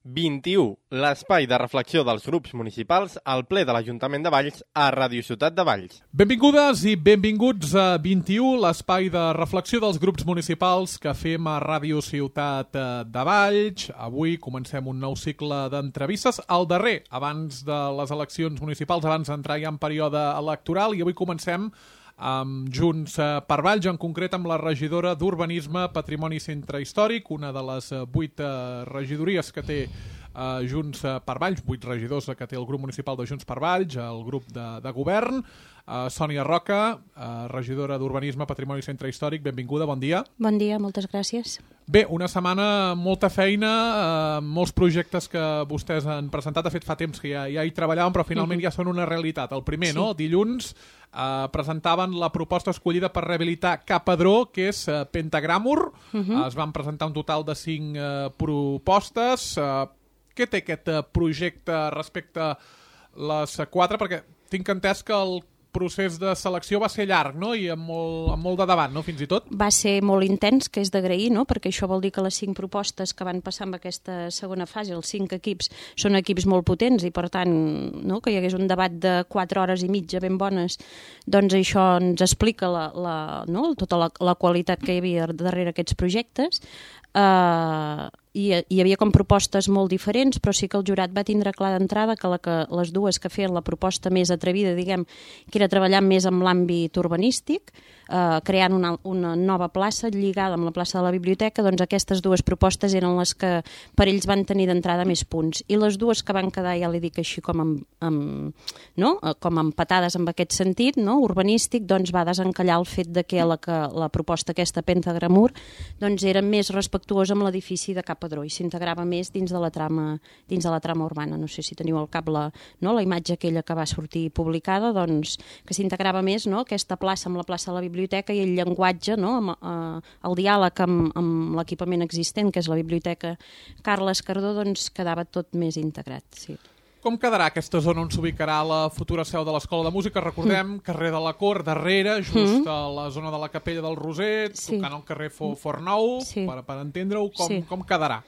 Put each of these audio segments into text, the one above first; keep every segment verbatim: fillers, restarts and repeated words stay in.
vint-i-u, l'espai de reflexió dels grups municipals al ple de l'Ajuntament de Valls a Ràdio Ciutat de Valls. Benvingudes i benvinguts a vint-i-u, l'espai de reflexió dels grups municipals que fem a Ràdio Ciutat de Valls. Avui comencem un nou cicle d'entrevistes, el darrer abans de les eleccions municipals, abans d'entrar ja en període electoral, i avui comencem amb Junts per Valls, en concret amb la regidora d'Urbanisme, Patrimoni i Centre Històric, una de les vuit regidories que té uh, Junts per Valls, vuit regidors que té el grup municipal de Junts per Valls, el grup de, de govern. Uh, Sònia Roca, uh, regidora d'Urbanisme, Patrimoni i Centre Històric, benvinguda, bon dia. Bon dia, moltes gràcies. Bé, una setmana, molta feina, uh, molts projectes que vostès han presentat. De fet, fa temps que ja, ja hi treballàvem, però finalment uh-huh. ja són una realitat. El primer, sí. no? Dilluns uh, presentaven la proposta escollida per rehabilitar Ca Padró, que és uh, Pentagràmur. Uh-huh. Uh, es van presentar un total de cinc uh, propostes. Uh, què té aquest uh, projecte respecte a les uh, quatre? Perquè tinc entès que el procés de selecció va ser llarg, no? I amb molt, amb molt de debat, no? Fins i tot. Va ser molt intens, que és d'agrair, no? Perquè això vol dir que les cinc propostes que van passar en aquesta segona fase, els cinc equips, són equips molt potents i, per tant, no? que hi hagués un debat de quatre hores i mitja ben bones, doncs això ens explica la, la, no? tota la, la qualitat que hi havia darrere aquests projectes. Uh, i hi havia com propostes molt diferents, però sí que el jurat va tindre clar d'entrada que, la que les dues que feien la proposta més atrevida, diguem, que era treballar més amb l'àmbit urbanístic, uh, creant una, una nova plaça lligada amb la plaça de la biblioteca, doncs aquestes dues propostes eren les que per ells van tenir d'entrada més punts. I les dues que van quedar, ja li dic així, com, amb, amb, no? com empatades en aquest sentit, no? urbanístic, doncs va desencallar el fet de que la, que la proposta aquesta Pentagràmur doncs era més respectuosa amb l'edifici de Ca Padró i s'integrava més dins de la trama dins de la trama urbana. No sé si teniu al cap la, no, la imatge aquella que va sortir publicada, doncs que s'integrava més, no, aquesta plaça amb la plaça de la biblioteca i el llenguatge, no, amb, eh, el diàleg amb, amb l'equipament existent, que és la biblioteca Carles Cardó, doncs quedava tot més integrat, sí. Com quedarà aquesta zona on s'ubicarà la futura seu de l'Escola de Música? Recordem, mm. carrer de la Cort, darrere, just mm. a la zona de la Capella del Roser, sí. tocant el carrer Fornou, sí. per, per entendre-ho, com, sí. com quedarà?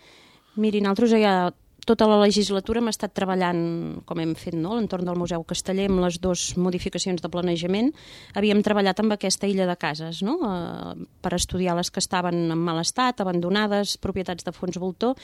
Miri, nosaltres ja tota la legislatura hem estat treballant, com hem fet, no? a l'entorn del Museu Casteller, amb les dues modificacions de planejament. Havíem treballat amb aquesta illa de cases, no? eh, per estudiar les que estaven en mal estat, abandonades, propietats de fons voltor,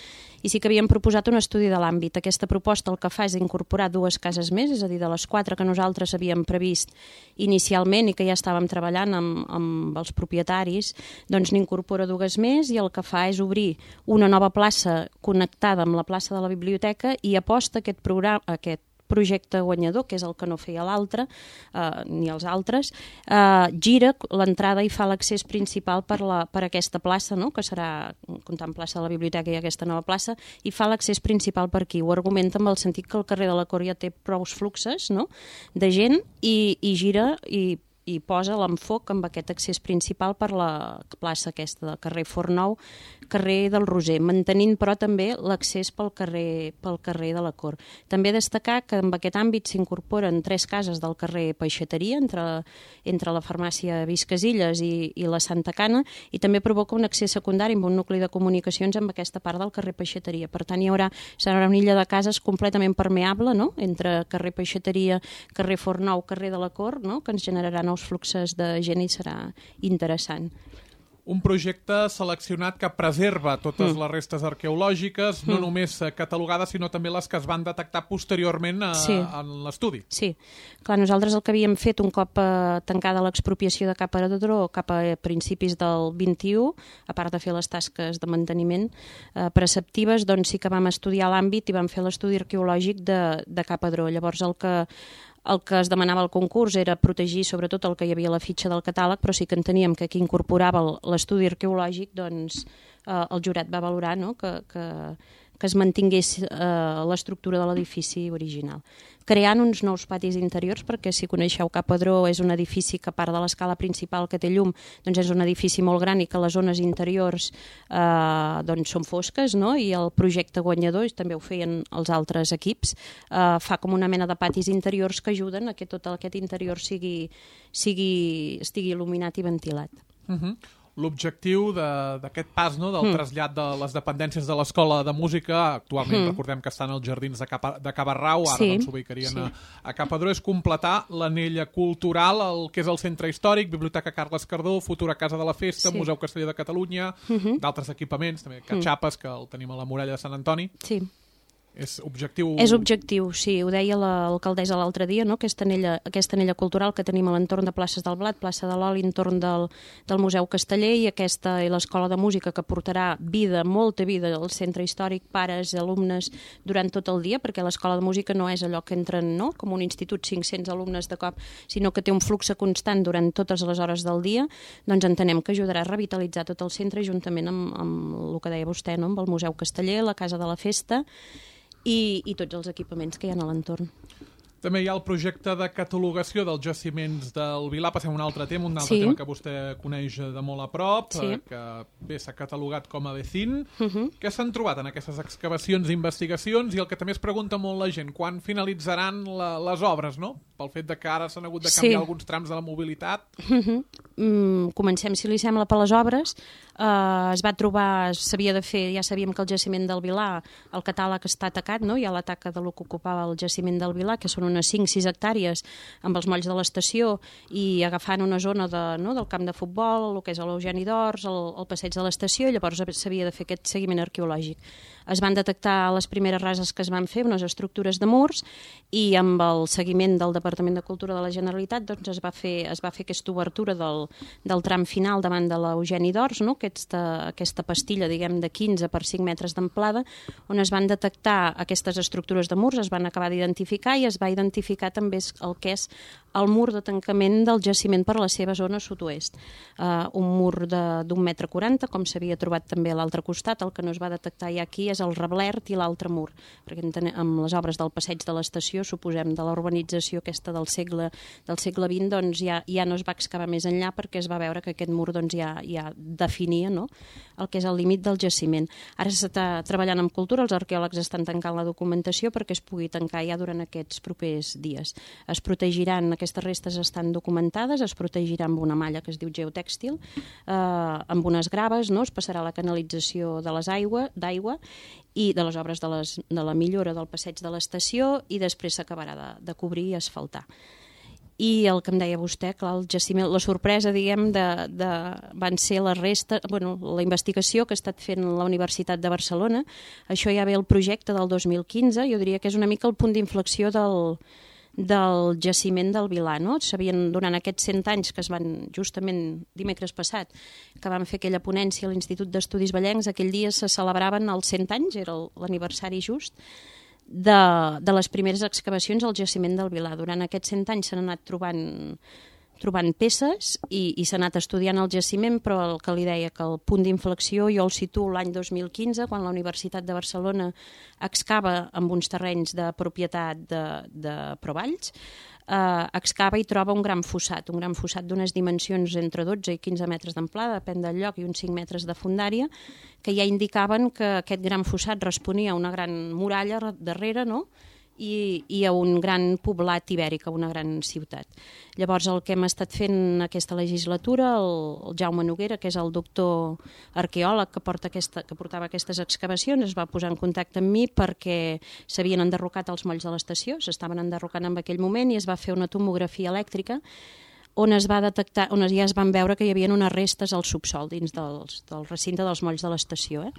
i sí que havíem proposat un estudi de l'àmbit. Aquesta proposta el que fa és incorporar dues cases més, és a dir, de les quatre que nosaltres havíem previst inicialment i que ja estàvem treballant amb, amb els propietaris, doncs n'incorpora dues més i el que fa és obrir una nova plaça connectada amb la plaça de la biblioteca i aposta aquest programa, aquest projecte guanyador, que és el que no feia l'altre, eh, ni els altres, eh, gira l'entrada i fa l'accés principal per, la, per aquesta plaça, no? que serà, comptant plaça de la biblioteca i aquesta nova plaça, i fa l'accés principal per aquí. Ho argumenta amb el sentit que el carrer de la Cort ja té prou fluxes, no? de gent i, i gira i i posa l'enfoc amb aquest accés principal per la plaça aquesta del carrer Fornou, carrer del Roser, mantenint però també l'accés pel carrer, pel carrer de la Cort. També destacar que en aquest àmbit s'incorporen tres cases del carrer Peixateria, entre, entre la farmàcia Viscasilles i, i la Santa Cana, i també provoca un accés secundari amb un nucli de comunicacions amb aquesta part del carrer Peixateria. Per tant, hi haurà, serà una illa de cases completament permeable, no? entre carrer Peixateria, carrer Fornou, carrer de la Cort, no? que ens generaran nous fluxes de gent i serà interessant. Un projecte seleccionat que preserva totes mm. les restes arqueològiques, no mm. només catalogades, sinó també les que es van detectar posteriorment a, sí. en l'estudi. Sí. Clar, nosaltres el que havíem fet un cop eh, tancada l'expropiació de Ca Padró cap a principis del vint-i-u, a part de fer les tasques de manteniment eh, preceptives, doncs sí que vam estudiar l'àmbit i vam fer l'estudi arqueològic de, de Ca Padró. Llavors el que El que es demanava al concurs era protegir sobretot el que hi havia a la fitxa del catàleg, però sí que enteníem que aquí incorporava l'estudi arqueològic, doncs eh, el jurat va valorar, no? que, que, que es mantingués eh, l'estructura de l'edifici original. Creant uns nous patis interiors, perquè si coneixeu Ca Padró és un edifici que a part de l'escala principal que té llum, doncs és un edifici molt gran i que les zones interiors eh, doncs són fosques, no? I el projecte guanyador, i també ho feien els altres equips, eh, fa com una mena de patis interiors que ajuden a que tot aquest interior sigui, sigui, estigui il·luminat i ventilat. Uh-huh. l'objectiu d'aquest pas, no?, del mm. trasllat de les dependències de l'Escola de Música. Actualment mm. recordem que estan als jardins de, Capa, de Cabarrau, ara sí, doncs s'ubicarien sí. a, a Capadró. És completar l'anella cultural, el que és el centre històric, Biblioteca Carles Cardó, futura Casa de la Festa, sí. Museu Casteller de Catalunya, mm-hmm. d'altres equipaments, també Catxapes, mm. que el tenim a la muralla de Sant Antoni. Sí. És objectiu... És objectiu, sí. Ho deia l'alcaldessa l'altre dia, no? Aquesta anella, aquesta anella cultural que tenim a l'entorn de places del Blat, plaça de l'Oli, entorn del, del Museu Casteller, i aquesta i l'Escola de Música, que portarà vida, molta vida al centre històric, pares, alumnes, durant tot el dia, perquè l'Escola de Música no és allò que entren, no?, com un institut, cinc-cents alumnes de cop, sinó que té un flux constant durant totes les hores del dia. Doncs entenem que ajudarà a revitalitzar tot el centre, juntament amb, amb el que deia vostè, no?, amb el Museu Casteller, la Casa de la Festa, I, i tots els equipaments que hi ha a l'entorn. També hi ha el projecte de catalogació dels jaciments del Vilar. Passem a un altre tema, un altre sí. tema que vostè coneix de molt a prop, sí. que bé s'ha catalogat com a Vecin. Uh-huh. Què s'han trobat en aquestes excavacions i investigacions? I el que també es pregunta molt la gent, quan finalitzaran la, les obres, no? Pel fet de que ara s'han hagut de canviar sí. alguns trams de la mobilitat. Uh-huh. mm, comencem, si li sembla, per les obres. Uh, es va trobar, s'havia de fer, ja sabíem que el jaciment del Vilar, el catàleg està atacat, no? Hi ha la taca de lo que ocupava el jaciment del Vilar, que són unes cinc sis hectàrees amb els molls de l'estació i agafant una zona de, no, del camp de futbol, el que és l'Eugeni d'Ors, el, el passeig de l'estació, i llavors s'havia de fer aquest seguiment arqueològic. Es van detectar les primeres rases que es van fer, unes estructures de murs, i amb el seguiment del Departament de Cultura de la Generalitat doncs es va fer, es va fer aquesta obertura del, del tram final davant de l'Eugeni d'Ors, no? aquesta, aquesta pastilla, diguem, de quinze per cinc metres d'amplada, on es van detectar aquestes estructures de murs, es van acabar d'identificar i es va identificar també el que és el mur de tancament del jaciment per la seva zona sud-oest. Uh, un mur d'un metre quaranta, com s'havia trobat també a l'altre costat. El que no es va detectar ja aquí és el reblert i l'altre mur, perquè amb les obres del passeig de l'estació, suposem, de la urbanització aquesta del segle, del segle vint, doncs ja, ja no es va excavar més enllà, perquè es va veure que aquest mur doncs, ja, ja definia, no?, el que és el límit del jaciment. Ara s'està treballant amb cultura, els arqueòlegs estan tancant la documentació perquè es pugui tancar ja durant aquests propers dies. Es protegiran, aquestes restes estan documentades, es protegirà amb una malla que es diu geotèxtil, eh, amb unes graves, no? Es passarà la canalització de les aigua, d'aigua i de les obres de, les, de la millora del passeig de l'estació, i després s'acabarà de, de cobrir i asfaltar. I el que em deia vostè, clar, el jaciment, la sorpresa, diguem, de, de, van ser les restes, bueno, la investigació que ha estat fent la Universitat de Barcelona. Això ja ve el projecte del dos mil quinze, jo diria que és una mica el punt d'inflexió del, del jaciment del Vilar, no? Sabien, durant aquests cent anys que es van, justament dimecres passat, que van fer aquella ponència a l'Institut d'Estudis Vallencs, aquell dia se celebraven els cent anys, era l'aniversari just, de, de les primeres excavacions al jaciment del Vilar. Durant aquests cent anys s'han anat trobant, trobant peces i, i s'ha anat estudiant el jaciment, però el que li deia que el punt d'inflexió jo el situo l'any dos mil quinze, quan la Universitat de Barcelona excava amb uns terrenys de propietat de, de Provalls, eh, excava i troba un gran fossat, un gran fossat d'unes dimensions entre dotze i quinze metres d'amplada, depèn del lloc, i uns cinc metres de fondària, que ja indicaven que aquest gran fossat responia a una gran muralla darrere, no?, I, i a un gran poblat ibèric, a una gran ciutat. Llavors el que hem estat fent aquesta legislatura, el, el Jaume Noguera, que és el doctor arqueòleg que, porta aquesta, que portava aquestes excavacions, es va posar en contacte amb mi perquè s'havien enderrocat els molls de l'estació, s'estaven enderrocant en aquell moment, i es va fer una tomografia elèctrica on es va detectar, on ja es van veure que hi havia unes restes al subsol dins dels, del recinte dels molls de l'estació, eh?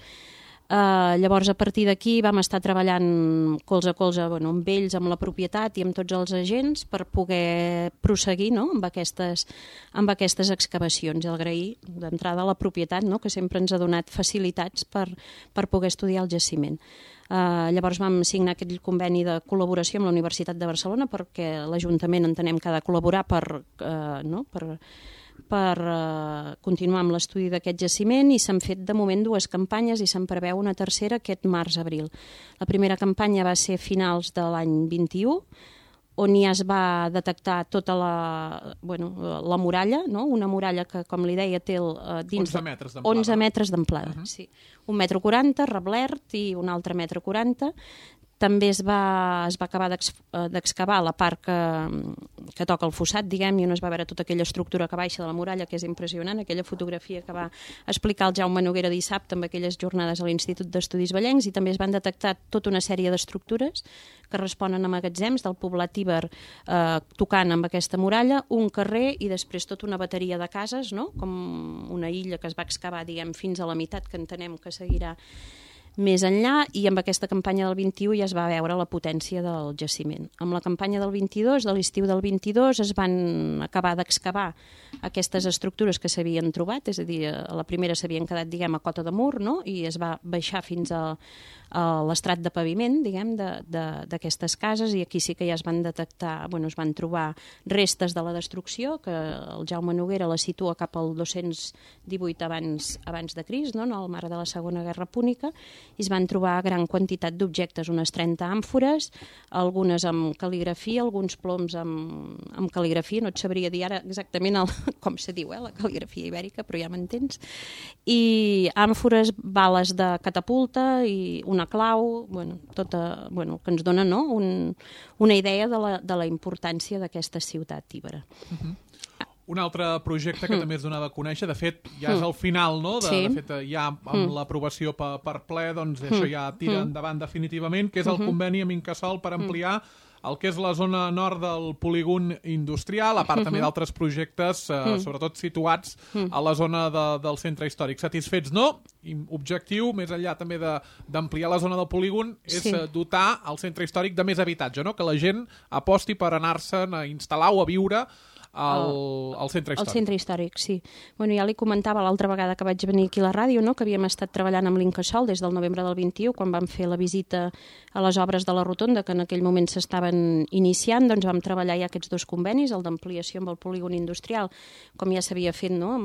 Uh, llavors a partir d'aquí vam estar treballant colze a colze, bueno, amb ells, amb la propietat i amb tots els agents per poder proseguir, no?, amb, aquestes, amb aquestes excavacions, i agrair d'entrada a la propietat, no?, que sempre ens ha donat facilitats per, per poder estudiar el jaciment. Uh, llavors vam signar aquest conveni de col·laboració amb la Universitat de Barcelona, perquè l'Ajuntament entenem que ha de col·laborar per, uh, no?, per per uh, continuar amb l'estudi d'aquest jaciment, i s'han fet de moment dues campanyes i se'n preveu una tercera aquest març-abril. La primera campanya va ser a finals de l'any vint-i-u, on ja es va detectar tota la, bueno, la muralla, no? Una muralla que, com li deia, té el, uh, dins onze metres d'amplada. onze metres d'amplada, uh-huh. Sí. Un metre quaranta, reblert, i un altre metre quaranta, També es va, es va acabar d'excavar la part que, que toca el fossat, diguem, i on es va veure tota aquella estructura que baixa de la muralla, que és impressionant, aquella fotografia que va explicar el Jaume Noguera dissabte amb aquelles jornades a l'Institut d'Estudis Vallencs, i també es van detectar tota una sèrie d'estructures que responen a magatzems del poblat Iber eh, tocant amb aquesta muralla, un carrer i després tota una bateria de cases, no? Com una illa que es va excavar, diguem, fins a la meitat, que entenem que seguirà més enllà, i amb aquesta campanya del vint-i-u ja es va veure la potència del jaciment. Amb la campanya del vint-i-dos, de l'estiu del vint-i-dos, es van acabar d'excavar aquestes estructures que s'havien trobat, és a dir, a la primera s'havien quedat, diguem, a cota de mur, no? I es va baixar fins a, a l'estrat de paviment, diguem, d'aquestes cases, i aquí sí que ja es van detectar, bueno, es van trobar restes de la destrucció, que el Jaume Noguera la situa cap al dos-cents divuit abans, abans de Crist, no? En el marc de la Segona Guerra Púnica, i es van trobar gran quantitat d'objectes, unes trenta àmfores, algunes amb cal·ligrafia, alguns ploms amb, amb cal·ligrafia, no et sabria dir ara exactament el, com se diu, eh, la cal·ligrafia ibèrica, però ja m'entens, i àmfores, bales de catapulta i una clau, bueno, tota, bueno, que ens dona, no? Un, una idea de la, de la importància d'aquesta ciutat íbera. Uh-huh. Un altre projecte que mm. també es donava a conèixer, de fet, ja és al final, no? De, sí. de fet, ja amb mm. l'aprovació per, per ple, doncs mm. això ja tira mm. endavant definitivament, que és el mm-hmm. conveni amb Incasòl per ampliar el que és la zona nord del polígon industrial, a part mm-hmm. també d'altres projectes, eh, mm. sobretot situats mm. a la zona de, del centre històric. Satisfets, no? I objectiu, més enllà també d'ampliar la zona del polígon, és sí. dotar el centre històric de més habitatge, no? Que la gent aposti per anar-se'n a instal·lar o a viure al, al centre històric. Al centre històric, sí. Bueno, ja li comentava l'altra vegada que vaig venir aquí a la ràdio, no? Que havíem estat treballant amb l'Incasòl des del novembre del vint-i-u, quan vam fer la visita a les obres de la rotonda, que en aquell moment s'estaven iniciant, doncs vam treballar ja aquests dos convenis, el d'ampliació amb el polígon industrial, com ja s'havia fet, no?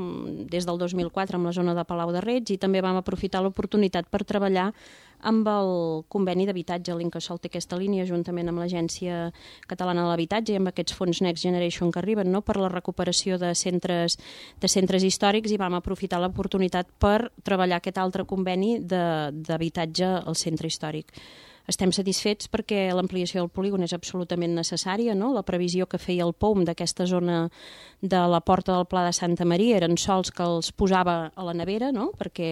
Des del dos mil quatre amb la zona de Palau de Reig, i també vam aprofitar l'oportunitat per treballar amb el conveni d'habitatge. L'Incasòl té aquesta línia juntament amb l'Agència Catalana de l'Habitatge i amb aquests fons Next Generation que arriben, no? Per la recuperació de centres, de centres històrics, i vam aprofitar l'oportunitat per treballar aquest altre conveni d'habitatge al centre històric. Estem satisfets perquè l'ampliació del polígon és absolutament necessària, no? La previsió que feia el P O U M d'aquesta zona de la Porta del Pla de Santa Maria eren sols que els posava a la nevera, no? Perquè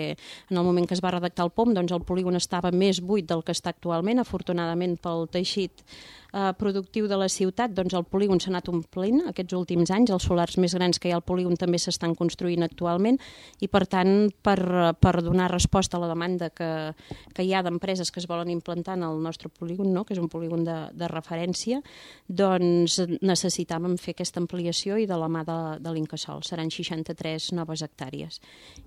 en el moment que es va redactar el P O U M, doncs el polígon estava més buit del que està actualment. Afortunadament pel teixit eh, productiu de la ciutat, doncs el polígon s'ha anat omplint aquests últims anys. Els solars més grans que hi ha al polígon també s'estan construint actualment, i per tant, per, per donar resposta a la demanda que, que hi ha d'empreses que es volen implantar en el nostre polígon, no? Que és un polígon de, de referència, doncs necessitàvem fer aquesta ampliació, i de la mà de, de l'Incasòl. Seran seixanta-tres noves hectàrees.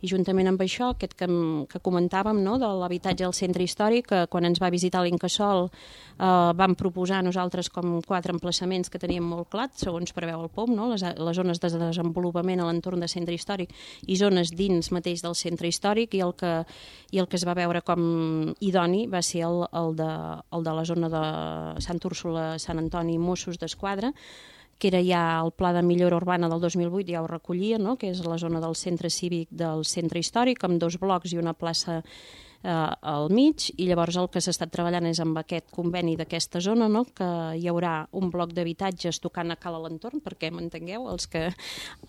I juntament amb això, aquest que, que comentàvem, no? De l'habitatge al centre històric, que quan ens va visitar l'Incasòl eh, vam proposar nosaltres com quatre emplaçaments que teníem molt clar, segons preveu el P O M, no? les, les zones de desenvolupament a l'entorn del centre històric i zones dins mateix del centre històric, i el que, i el que es va veure com idoni va ser el, el de el de la zona de Sant Úrsula, Sant Antoni i Mossos d'Esquadra, que era ja el pla de millora urbana del dos mil vuit, ja ho recollia, no? Que és la zona del centre cívic del centre històric, amb dos blocs i una plaça eh, al mig, i llavors el que s'ha estat treballant és amb aquest conveni d'aquesta zona, no? Que hi haurà un bloc d'habitatges tocant a cal a l'entorn, perquè m'entengueu, els que,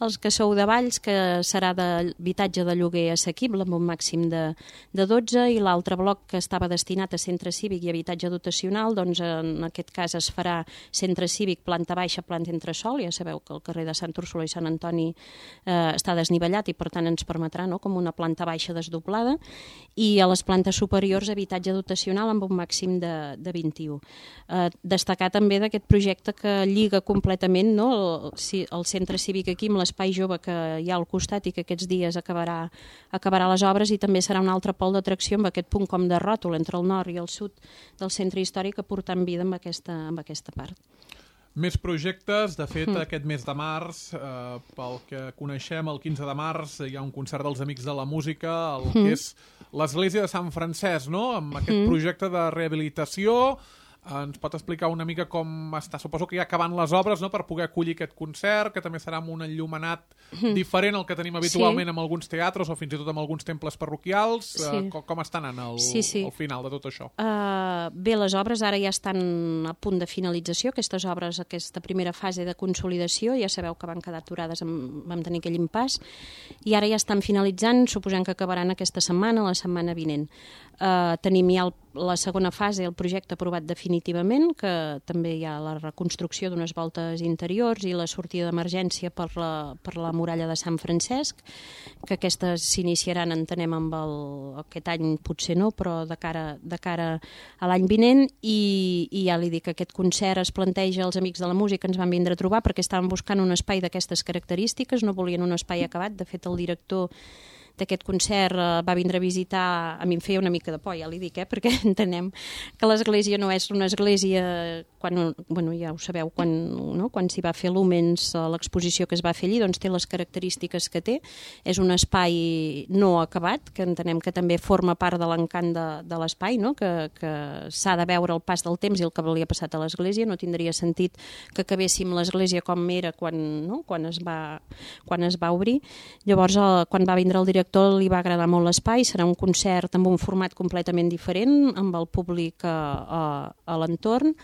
els que sou de Valls, que serà d'habitatge de lloguer assequible amb un màxim de, de dotze, i l'altre bloc que estava destinat a centre cívic i habitatge dotacional, doncs en aquest cas es farà centre cívic, planta baixa, planta entresòl. Ja sabeu que el carrer de Sant Úrsula i Sant Antoni eh, està desnivellat, i per tant ens permetrà, no? Com una planta baixa desdoblada, i a les plantes superiors habitatge dotacional amb un màxim de, de vint-i-u. Eh, destacar també d'aquest projecte que lliga completament, no? el, el centre cívic aquí amb l'espai jove que hi ha al costat, i que aquests dies acabarà, acabarà les obres, i també serà un altre pol d'atracció amb aquest punt com de ròtol entre el nord i el sud del centre històric, aportant vida amb aquesta, amb aquesta part. Més projectes. De fet, mm. aquest mes de març, eh, pel que coneixem, el quinze de març, hi ha un concert dels Amics de la Música, el mm. que és l'Església de Sant Francesc, no? Amb aquest mm. projecte de rehabilitació, Ens pot explicar una mica com està? Suposo que ja acabant les obres, no?, per poder acollir aquest concert, que també serà amb un enllumenat mm. diferent al que tenim habitualment sí. en alguns teatres o fins i tot en alguns temples parroquials. Sí. Uh, com, com està anant el, sí, sí. el final de tot això? Uh, bé, les obres ara ja estan a punt de finalització. Aquestes obres, aquesta primera fase de consolidació, ja sabeu que van quedar aturades, amb, vam tenir aquell impàs, i ara ja estan finalitzant, suposem que acabaran aquesta setmana, la setmana vinent. Uh, tenim ja el, la segona fase, el projecte aprovat definitivament, que també hi ha la reconstrucció d'unes voltes interiors i la sortida d'emergència per la, per la muralla de Sant Francesc, que aquestes s'iniciaran, entenem, amb el, aquest any potser no, però de cara, de cara a l'any vinent, i, i ja li dic que aquest concert es planteja, els amics de la música ens van vindre a trobar perquè estaven buscant un espai d'aquestes característiques, no volien un espai acabat. De fet, el director d'aquest concert uh, va vindre a visitar, a mi em feia una mica de por, ja li dic, eh, perquè entenem que l'església no és una església, quan, bueno, ja ho sabeu, quan, no? quan s'hi va fer l'Humens, l'exposició que es va fer allí, doncs té les característiques que té, és un espai no acabat, que entenem que també forma part de l'encant de, de l'espai, no? que, que s'ha de veure el pas del temps i el que li ha passat a l'església, no tindria sentit que acabéssim l'església com era quan, no? quan, es va, quan es va obrir. Llavors, eh, quan va vindre el director li va agradar molt l'espai, serà un concert amb un format completament diferent, amb el públic a, a, a l'entorn,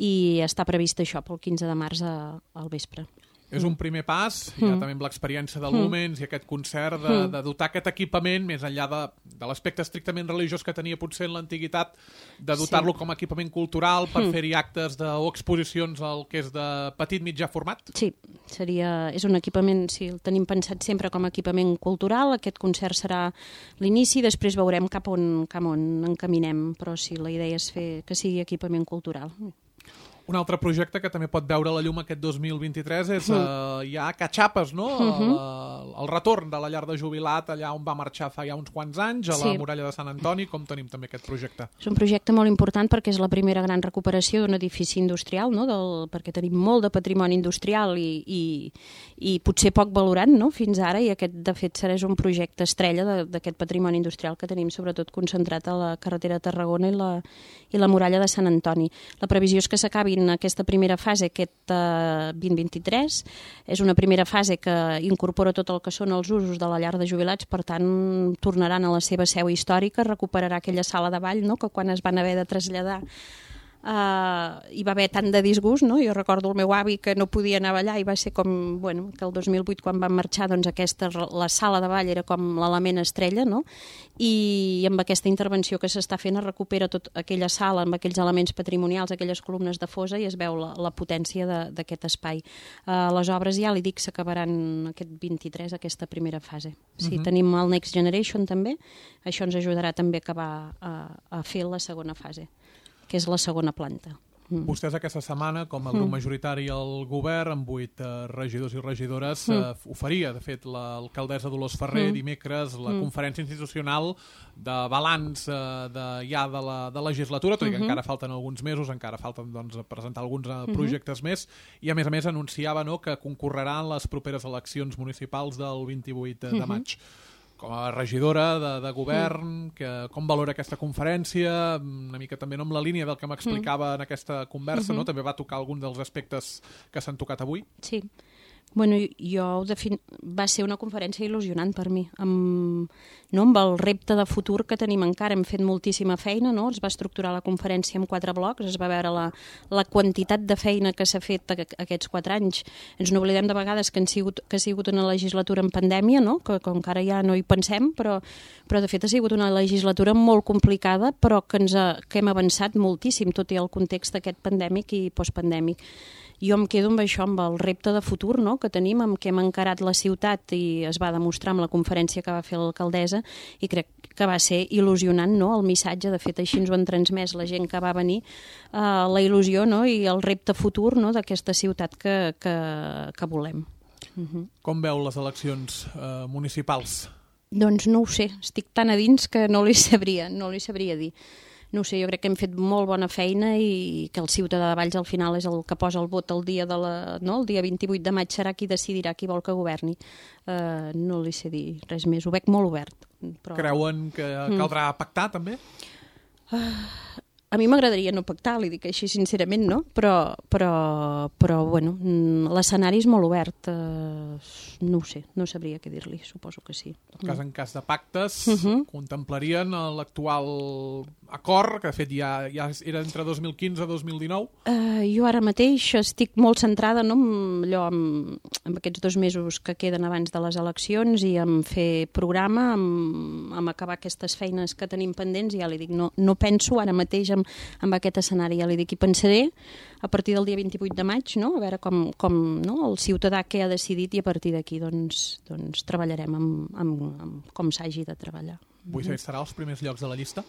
i està previst això pel quinze de març a, al vespre. És un primer pas, hi ha mm. també amb l'experiència de Lumens mm. i aquest concert de, mm. de dotar aquest equipament, més enllà de, de l'aspecte estrictament religiós que tenia potser en l'antiguitat, de dotar-lo sí. com a equipament cultural per mm. fer-hi actes de, o exposicions al que és de petit mitjà format? Sí, seria, és un equipament, sí, el tenim pensat sempre com a equipament cultural. Aquest concert serà l'inici, després veurem cap on, cap on encaminem, però sí, la idea és fer que sigui equipament cultural. Un altre projecte que també pot veure la llum aquest dos mil vint-i-tres és mm. uh, ja a Catxapes, no? Mm -hmm. el, el retorn de la llar de jubilat allà on va marxar fa ja uns quants anys, a la sí. muralla de Sant Antoni. Com tenim també aquest projecte? És un projecte molt important perquè és la primera gran recuperació d'un edifici industrial, no? Del, perquè tenim molt de patrimoni industrial i, i, i potser poc valorat, no? Fins ara, i aquest de fet serà un projecte estrella d'aquest patrimoni industrial que tenim sobretot concentrat a la carretera de Tarragona i la, i la muralla de Sant Antoni. La previsió és que s'acabi en aquesta primera fase, aquest uh, vint vint-i-tres. És una primera fase que incorpora tot el que són els usos de la llar de jubilats, per tant, tornaran a la seva seu històrica, recuperarà aquella sala de ball, no?, que quan es van haver de traslladar Uh, hi va haver tant de disgust, no? Jo recordo el meu avi que no podia anar a ballar i va ser com, bueno, que el dos mil vuit quan van marxar, doncs aquesta, la sala de ball era com l'element estrella, no? I amb aquesta intervenció que s'està fent es recupera tot aquella sala amb aquells elements patrimonials, aquelles columnes de fosa, i es veu la, la potència d'aquest espai. Uh, les obres, ja li dic, s'acabaran aquest vint-i-tres, aquesta primera fase. Sí, uh-huh. Tenim el Next Generation també, això ens ajudarà també a acabar a, a fer la segona fase, que és la segona planta. Mm. Vostès aquesta setmana, com a grup mm. majoritari al govern, amb vuit uh, regidors i regidores, mm. uh, oferia, de fet, l'alcaldessa Dolors Ferrer mm. dimecres la mm. conferència institucional de balanç uh, de, ja de la de legislatura, tot i que mm -hmm. encara falten alguns mesos, encara falten doncs, presentar alguns uh, projectes mm -hmm. més, i a més a més anunciava, no, que concorrerà en les properes eleccions municipals del vint-i-vuit de, de maig. Com a regidora de, de govern, mm. que, com valora aquesta conferència, una mica també no amb la línia del que m'explicava mm. en aquesta conversa, mm-hmm. no? També va tocar algun dels aspectes que s'han tocat avui? Sí. Bueno, jo defin... va ser una conferència il·lusionant per mi, amb, no, amb el repte de futur que tenim encara. Hem fet moltíssima feina, no? Es va estructurar la conferència en quatre blocs, es va veure la, la quantitat de feina que s'ha fet aquests quatre anys. Ens n'oblidem de vegades que, han sigut, que ha sigut una legislatura en pandèmia, no? que, que encara ja no hi pensem, però, però de fet ha sigut una legislatura molt complicada, però que, ens ha, que hem avançat moltíssim, tot i el context aquest pandèmic i postpandèmic. Jo em quedo amb això, amb el repte de futur, no?, que tenim, amb què hem encarat la ciutat, i es va demostrar amb la conferència que va fer l'alcaldessa, i crec que va ser il·lusionant, no?, el missatge. De fet, així ens ho han transmès la gent que va venir, eh, la il·lusió, no?, i el repte futur, no?, d'aquesta ciutat que, que, que volem. Uh-huh. Com veu les eleccions eh, municipals? Doncs no ho sé, estic tan a dins que no li sabria, no li sabria dir. No ho sé, jo crec que hem fet molt bona feina i que el ciutadà de Valls al final és el que posa el vot el dia, de la, no? el dia vint-i-vuit de maig serà qui decidirà qui vol que governi. Uh, no li sé dir res més, ho veig molt obert. Però... Creuen que caldrà mm. pactar també? Uh, A mi m'agradaria no pactar, li dic així sincerament, no? Però, però, però bueno, l'escenari és molt obert. Eh, no ho sé, no sabria què dir-li, suposo que sí. En cas, en cas de pactes, Uh -huh. contemplarien l'actual acord, que de fet ja, ja era entre dos mil quinze i dos mil dinou? Uh, jo ara mateix estic molt centrada, no, en, allò, en, en aquests dos mesos que queden abans de les eleccions i en fer programa, en, en acabar aquestes feines que tenim pendents, i ja li dic, no, no penso ara mateix en, en aquest escenari, ja li dic, i pensaré a partir del dia vint-i-vuit de maig, no? A veure com, com no? el ciutadà què ha decidit, i a partir d'aquí doncs, doncs treballarem amb, amb, amb com s'hagi de treballar. Vull saber, serà als primers llocs de la llista?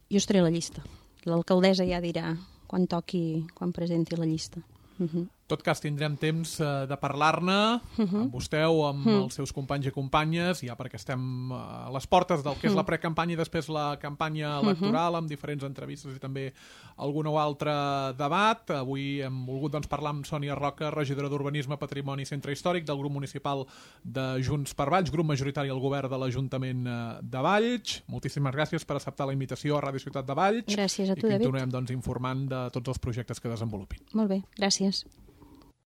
Jo estaré a la llista. L'alcaldessa ja dirà quan toqui, quan presenti la llista. Uh -huh. En tot cas, tindrem temps uh, de parlar-ne uh -huh. amb vostè o amb uh -huh. els seus companys i companyes, ja perquè estem uh, a les portes del que és la precampanya i després la campanya electoral, amb diferents entrevistes i també algun o altre debat. Avui hem volgut doncs, parlar amb Sònia Roca, regidora d'Urbanisme, Patrimoni i Centre Històric del grup municipal de Junts per Valls, grup majoritari al govern de l'Ajuntament de Valls. Moltíssimes gràcies per acceptar la invitació a Ràdio Ciutat de Valls. Gràcies a tu, I David. continuem doncs, informant de tots els projectes que desenvolupin. Molt bé, gràcies.